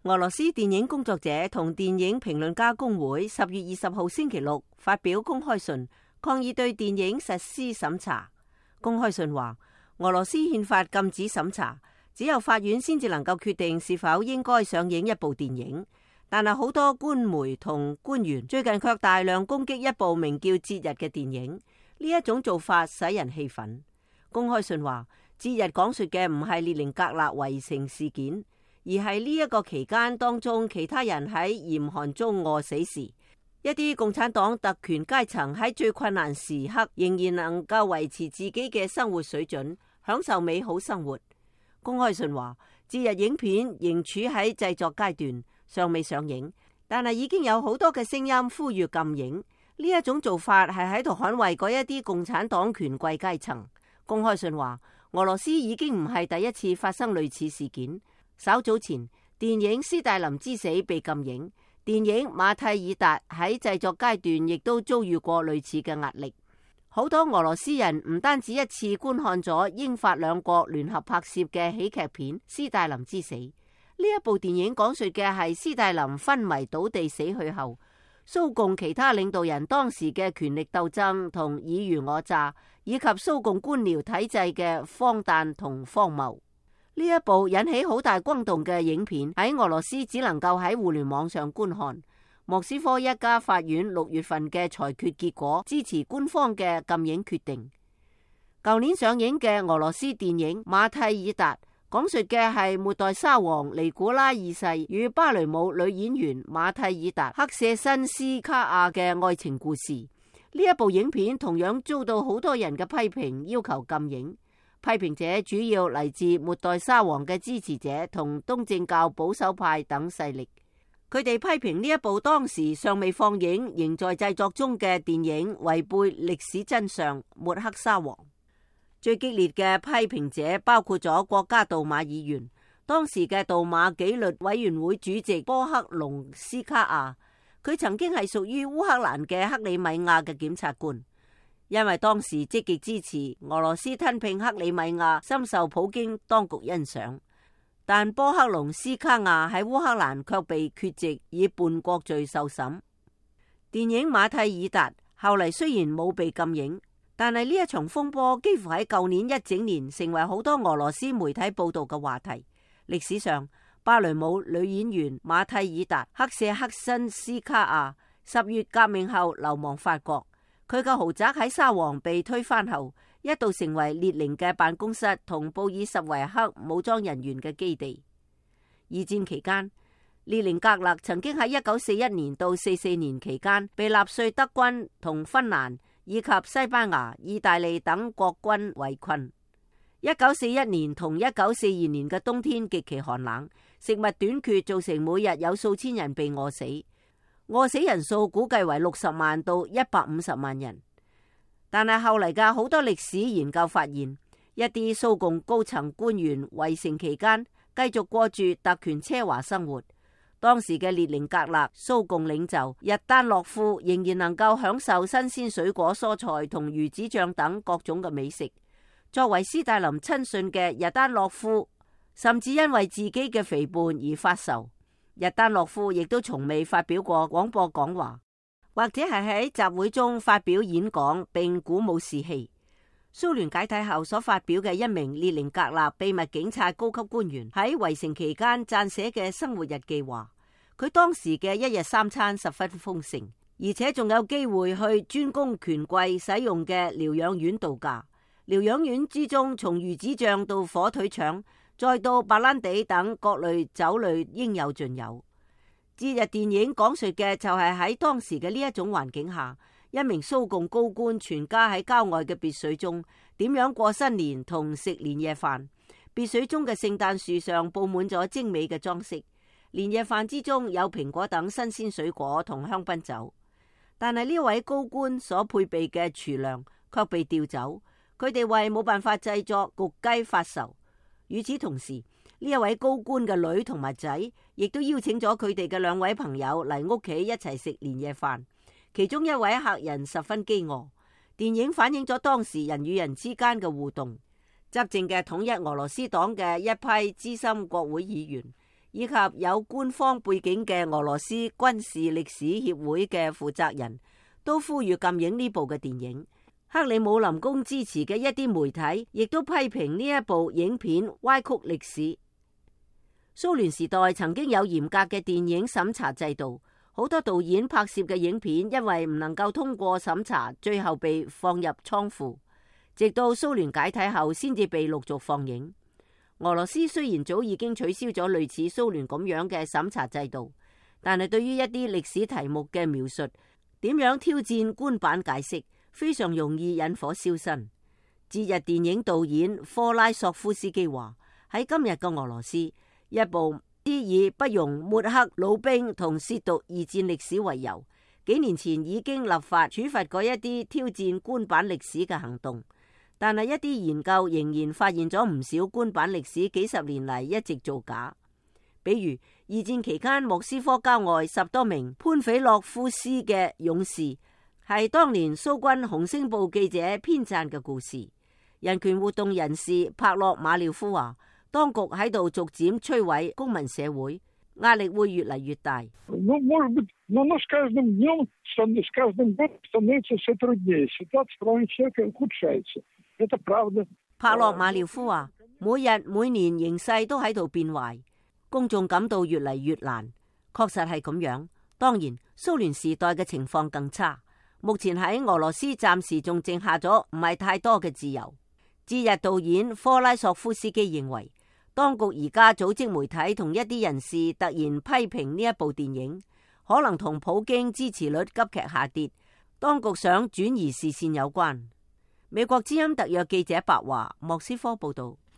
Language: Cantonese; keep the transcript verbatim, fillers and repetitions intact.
俄羅斯電影工作者同電影評論家工會十月二十號星期六發表公開信，抗議對電影實施審查。公開信話，俄羅斯憲法禁止審查，只有法院先至能夠決定是否應該上映一部電影。但係好多官媒同官員最近卻大量攻擊一部名叫《節日》嘅電影，呢一種做法使人氣憤。公開信話，《節日》講述嘅唔係列寧格勒圍城事件，而係呢一個期間當中其他人喺嚴寒中餓死時，一啲共產黨特權階層喺最困難時刻仍然能夠維持自己嘅生活水準，享受美好生活。公開信話，節日影片仍處喺製作階段，尚未上映，但係已經有好多嘅聲音呼籲禁影。呢一種做法係喺度捍衛嗰一啲共產黨權貴階層。公開信話，俄羅斯已經唔係第一次發生類似事件。稍早前，電影《斯大林之死》被禁影，電影《馬蒂爾達》喺製作階段亦都遭遇過類似嘅壓力。好多俄羅斯人唔單止一次觀看咗英法兩國聯合拍攝嘅喜劇片《斯大林之死》。呢一部電影講述嘅係斯大林昏迷倒地死去後，蘇共其他領導人當時嘅權力鬥爭同爾虞我詐，以及蘇共官僚體制嘅荒誕同荒謬。呢一部引起好大轟動嘅影片喺俄羅斯只能夠喺互聯網上觀看。莫斯科一家法院六月份嘅裁決結果支持官方嘅禁影決定。舊年上映嘅俄羅斯電影《馬蒂爾達》講述嘅係末代沙皇尼古拉二世與芭蕾舞女演員馬蒂爾達克舍申斯卡亞嘅愛情故事。呢一部影片同樣遭到好多人嘅批評，要求禁影。批評者主要嚟自末代沙皇嘅支持者同東正教保守派等勢力。佢哋批評呢一部當時尚未放映、仍在製作中嘅電影違背歷史真相，抹黑沙皇。最激烈嘅批評者包括咗國家杜馬議員、當時嘅杜馬紀律委員會主席波克隆斯卡亞。佢曾經係屬於烏克蘭嘅克里米亞嘅檢察官。因為當時積極支持俄羅斯吞併克里米亞，深受普京當局欣賞。但波克隆斯卡亞喺烏克蘭卻被缺席，以叛國罪受審。電影《馬蒂爾達》後嚟雖然冇被禁影，但係呢一場風波幾乎喺舊年一整年成為好多俄羅斯媒體報道嘅話題。歷史上，芭蕾舞女演員馬蒂爾達克舍克申斯卡亞十月革命後流亡法國。佢嘅豪宅喺沙皇被推翻後，一度成為列寧嘅辦公室同布爾什維克武裝人員嘅基地。二戰期間，列寧格勒曾經喺一九四一年到四四年期間被納粹德軍同芬蘭以及西班牙、意大利等國軍圍困。一九四一年同一九四二年嘅冬天極其寒冷，食物短缺造成每日有數千人被餓死。餓死人數估計為六十萬到一百五十萬人，但係後嚟嘅好多歷史研究發現，一啲蘇共高層官員圍城期間繼續過住特權奢華生活。當時嘅列寧格勒蘇共領袖日丹諾夫仍然能夠享受新鮮水果、蔬菜同魚子醬等各種嘅美食。作為斯大林親信嘅日丹諾夫，甚至因為自己嘅肥胖而發愁。日丹諾夫亦都從未發表過廣播講話，或者係喺集會中發表演講並鼓舞士氣。蘇聯解體後所發表嘅一名列寧格勒秘密警察高級官員喺圍城期間撰寫嘅生活日記話，佢當時嘅一日三餐十分豐盛，而且仲有機會去專供權貴使用嘅療養院度假。療養院之中，從魚子醬到火腿腸，再到白蘭地等各類酒類應有盡有。節日電影講述嘅就係喺當時嘅呢一種環境下，一名蘇共高官全家喺郊外嘅別墅中點樣過新年同食年夜飯。別墅中嘅聖誕樹上佈滿咗精美嘅裝飾，年夜飯之中有蘋果等新鮮水果同香檳酒。但係呢位高官所配備嘅廚糧卻被調走，佢哋為冇辦法製作焗雞發愁。與此同時，呢一位高官嘅女同埋仔亦都邀請咗佢哋嘅兩位朋友嚟屋企一齊食年夜飯。其中一位客人十分飢餓。電影反映咗當時人與人之間嘅互動。執政嘅統一俄羅斯黨嘅一批資深國會議員，以及有官方背景嘅俄羅斯軍事歷史協會嘅負責人都呼籲禁映呢部嘅電影。克里姆林宮支持嘅一啲媒體亦都批評呢一部影片歪曲歷史。蘇聯時代曾經有嚴格嘅電影審查制度，好多導演拍攝嘅影片因為唔能夠通過審查，最後被放入倉庫，直到蘇聯解體後先至被陸續放映。俄羅斯雖然早已經取消咗類似蘇聯咁樣嘅審查制度，但係對於一啲歷史題目嘅描述，點樣挑戰官版解釋，非常容易引火燒身。節日電影導演科拉索夫斯基話：喺今日嘅俄羅斯，一部以不容抹黑老兵同褻瀆二戰歷史為由，幾年前已經立法處罰過一啲挑戰官版歷史嘅行動，但係一啲研究仍然發現咗唔少官版歷史幾十年嚟一直造假。比如二戰期間莫斯科郊外十多名潘菲洛夫斯嘅勇士，係當年蘇軍紅星報記者編撰嘅故事。人權活動人士帕洛馬廖夫話：當局喺度逐漸摧毀公民社會，壓力會越嚟越大。帕洛馬廖夫話：每日每年形勢都喺度變壞，公眾感到越嚟越難。確實係咁樣。當然，蘇聯時代嘅情況更差。目前喺俄羅斯暫時仲剩下咗唔係太多嘅自由。節日導演科拉索夫斯基認為，當局而家組織媒體同一啲人士突然批評呢一部電影，可能同普京支持率急劇下跌，當局想轉移視線有關。美國之音特約記者白華莫斯科報道。